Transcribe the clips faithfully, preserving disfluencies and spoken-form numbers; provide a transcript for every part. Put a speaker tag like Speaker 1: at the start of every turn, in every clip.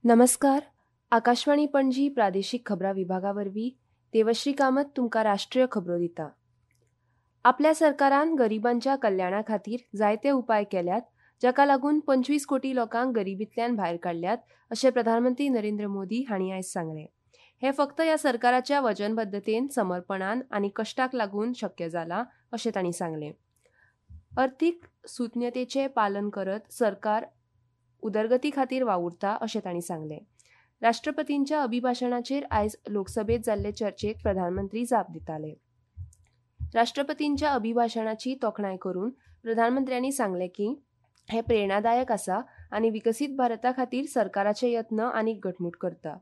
Speaker 1: नमस्कार, आकाशवाणी पणजी प्रादेशीक खबरां विभागा वरवीं देवश्री कामत तुमकां राष्ट्रीय खबरो दिता. आपल्या सरकारान गरिबांच्या कल्याणा खातीर जायते उपाय केल्यात, जाका लागून पंचवीस कोटी लोकांक गरिबींतल्यान भायर काडल्यात अशें प्रधानमंत्री नरेंद्र मोदी हांणी आयज सांगलें. हें फक्त ह्या सरकाराच्या वचनबद्धतेन, समर्पणान आनी कश्टाक लागून शक्य जालां अशें तांणी सांगलें. अर्थीक सुज्ञतेचें पालन करत सरकार उदरगती खातीर वावुरता अशें तांणी सांगलें. राष्ट्रपतींच्या अभिभाशणाचेर आयज लोकसभेत जाल्ले चर्चेक प्रधानमंत्री जाप दिताले. राष्ट्रपतींच्या अभिभाशणाची तोखणाय करून प्रधानमंत्र्यांनी सांगलें की हें प्रेरणादायक आसा आनी विकसीत भारता खातीर सरकाराचे यत्न आनीक घटमूट करता.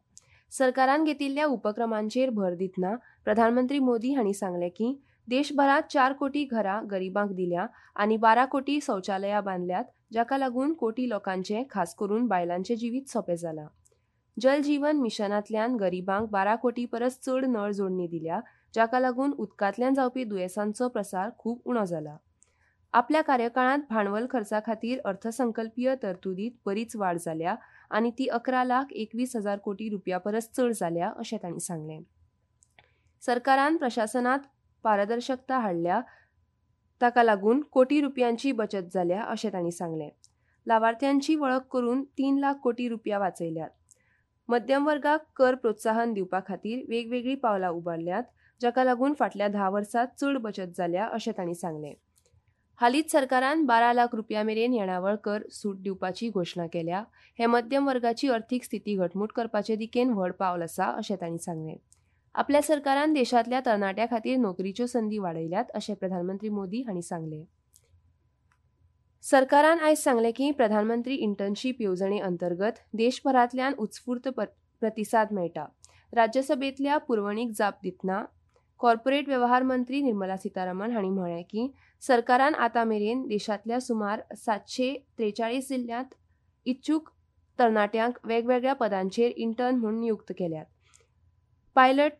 Speaker 1: सरकारान घेतिल्ल्या उपक्रमांचेर भर दितना प्रधानमंत्री मोदी हांणी सांगलें की देशभरांत चार कोटी घरां गरिबांक दिल्या आनी बारा कोटी शौचालयां बांदल्यात, जाका लागून कोटी लोकांचें, खास करून बायलांचें जिवीत सोंपें जालां. जल जीवन मिशनांतल्यान गरिबांक बारा कोटी परस चड नळ जोडणी दिल्या, जाका लागून उदकांतल्यान जावपी दुयेंसांचो प्रसार खूब उणो जाला. आपल्या कार्यकाळांत भांडवल खर्चा खातीर अर्थसंकल्पीय तरतुदींत बरीच वाड जाल्या आनी ती अकरा लाख एकवीस हजार कोटी रुपया परस चड जाल्या अशें तांणी सांगलें. सरकारान प्रशासनांत पारदर्शकता हाडल्या, ताका लागून कोटी रुपयांची बचत जाल्या अशें तांणी सांगलें. लावार्थ्यांची वळख करून तीन लाख कोटी रुपया वाचयल्यात. मध्यम वर्गाक कर प्रोत्साहन दिवपा खातीर वेगवेगळीं पावलां उबारल्यात, जाका लागून फाटल्या धा वर्सांत चड बचत जाल्या अशें तांणी सांगलें. हालींच सरकारान बारा लाख रुपया मेरेन येणावळ कर सूट दिवपाची घोशणा केल्या. हें मध्यम वर्गाची अर्थीक स्थिती घटमूट करपाचे दिकेन व्हड पावल आसा अशें तांणी सांगलें. आपल्या सरकारान देशांतल्या तरणाट्यां खातीर नोकरीच्यो संदी वाडयल्यात अशें प्रधानमंत्री मोदी हांणी सांगलें. सरकारान आयज सांगलें की प्रधानमंत्री इंटर्नशीप येवजणे अंतर्गत देशभरांतल्यान उत्स्फूर्त प्रतिसाद मेळटा. राज्यसभेंतल्या पुरवणीक जाप दितना कॉर्पोरेट वेव्हार मंत्री निर्मला सीतारामन हांणी म्हळें की सरकारान आतां मेरेन देशांतल्या सुमार सातशे त्रेचाळीस जिल्ल्यांत इच्छूक तरणाट्यांक वेगवेगळ्या पदांचेर इंटर्न म्हूण नियुक्त केल्यात. पायलट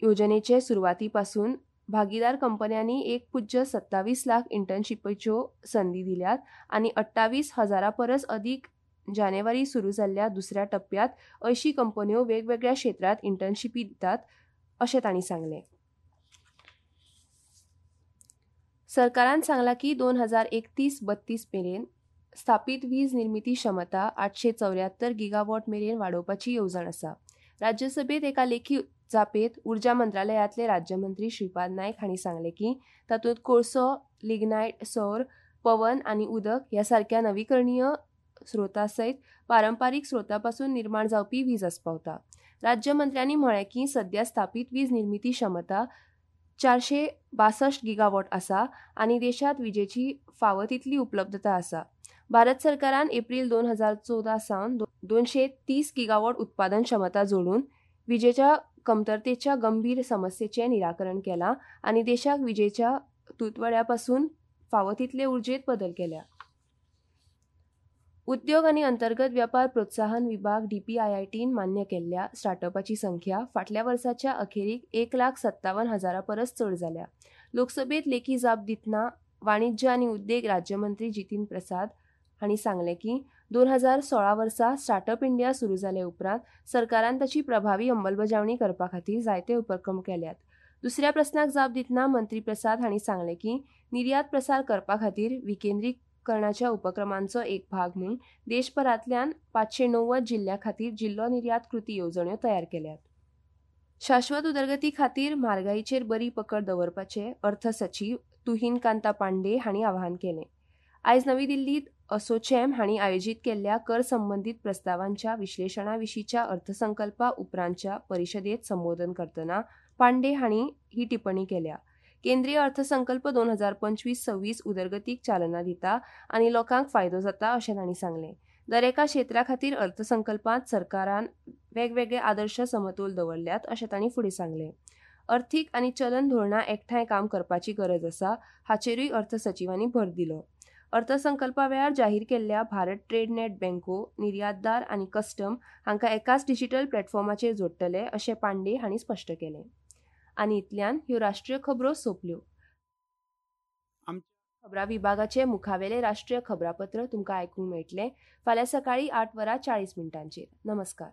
Speaker 1: योजनेचे सुरवाती पासून भागीदार कंपन्यांनी एक पुज्य सत्तावीस लाख इंटर्नशिपच्यो संदी दिल्यात आनी अठ्ठावीस हजारा परस अदीक जानेवारी सुरू जाल्ल्या दुसऱ्या टप्प्यांत अंयशीं कंपन्यो वेगवेगळ्या क्षेत्रांत इंटर्नशिपी दितात अशें तांणी सांगलें. सरकारान सांगलां की दोन हजार एकतीस बत्तीस मेरेन स्थापीत वीज निर्मिती क्षमता आठशे चौऱ्यात्तर गिगावॉट मेरेन वाडोवपाची येवजण आसा. राज्यसभेत एका लेखी जापेत ऊर्जा मंत्रालयांतले राज्यमंत्री श्रीपाद नायक हांणी सांगलें की तातूंत कोळसो, लिग्नायट, सौर, पवन आनी उदक ह्या सारक्या नवीकरणीय स्रोता सयत पारंपारीक स्रोता पासून निर्माण जावपी वीज आस्पावता. राज्यमंत्र्यांनी म्हळें की सद्या स्थापीत वीज निर्मिती क्षमता चारशे बासश्ट गिगावॉट आसा आनी देशांत विजेची फावो तितली उपलब्धता आसा. भारत सरकारान एप्रील दोन हजार चवदा सावन दोनशे तीस गिगावॉट उत्पादन क्षमता जोडून विजेच्या कमतरतेच्या गंभीर समस्येचें निराकरण केलां आनी देशाक विजेच्या तुटवड्या पासून फावो तितले उर्जेंत बदल केल्या. उद्योग आनी अंतर्गत वेपार प्रोत्साहन विभाग डीपीआयआयटीन मान्य केल्ल्या स्टार्टअपाची संख्या फाटल्या वर्साच्या अखेरीक एक लाख सत्तावन हजारा परस चड जाल्या. लोकसभेत लेखी जाप दितना वाणिज्य आनी उद्देग राज्यमंत्री जितीन प्रसाद हांणी सांगलें की दोन हजार सोळा वर्सा स्टार्टअप इंडिया सुरू जाले उपरांत सरकारान ताची प्रभावी अंमलबजावणी करपा खातीर जायते उपक्रम केल्यात. दुसऱ्या प्रस्नाक जाप दितना मंत्री प्रसाद हांणी सांगलें की निर्यात प्रसार करपा खातीर विकेंद्रीकरणाच्या उपक्रमांचो एक भाग म्हूण देशभरांतल्यान पांचशे णव्वद जिल्ल्या खातीर जिल्लो निर्यात कृती येवजण्यो तयार केल्यात. शाश्वत उदरगती खातीर म्हारगाईचेर बरी पकड दवरपाचें अर्थ सचीव तुहीन कांता पांडे हांणी आवाहन केलें. आयज नवी दिल्लींत असोचॅम हांणी आयोजीत केल्ल्या कर संबंदीत प्रस्तावांच्या विश्लेशणा विशींच्या अर्थसंकल्पा उपरांतच्या परिशदेंत संबोधन करतना पांडे हांणी ही टिप्पणी केल्या. केंद्रीय अर्थसंकल्प दोन हजार पंचवीस सव्वीस उदरगतीक चालना दिता आनी लोकांक फायदो जाता अशें तांणी सांगलें. दरेका क्षेत्रा खातीर अर्थसंकल्पांत सरकारान वेगवेगळे आदर्श समतोल दवरल्यात अशें तांणी फुडें सांगलें. अर्थीक आनी चलन धोरणां एकठांय काम करपाची गरज आसा हाचेरूय अर्थ सचिवांनी भर दिलो. अर्थसंकल्पा वेळार जाहीर केल्ल्या भारत ट्रेड नेट बँको, निर्यातदार आनी कस्टम हांकां एकाच डिजिटल प्लॅटफॉर्माचेर जोडटले अशें पांडे हांणी स्पश्ट केलें. आनी इतल्यान ह्यो राष्ट्रीय खबरो सोंपल्यो. खबरां विभागाचे मुखावेले राष्ट्रीय खबरापत्र तुमकां आयकूंक मेळटलें फाल्यां सकाळीं आठ वरां चाळीस मिनटांचेर. नमस्कार.